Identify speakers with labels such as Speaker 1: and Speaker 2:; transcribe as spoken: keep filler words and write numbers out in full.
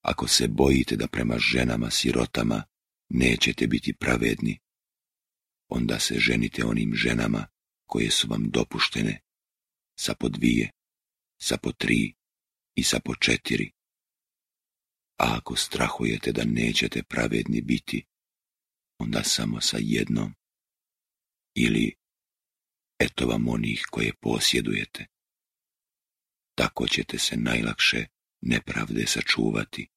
Speaker 1: Ako se bojite da prema ženama sirotama nećete biti pravedni, onda se ženite onim ženama koje su vam dopuštene, sa po dvije, sa po tri i sa po četiri. A ako strahujete da nećete pravedni biti, onda samo sa jednom, ili eto vam onih koje posjedujete. Tako ćete se najlakše nepravde sačuvati.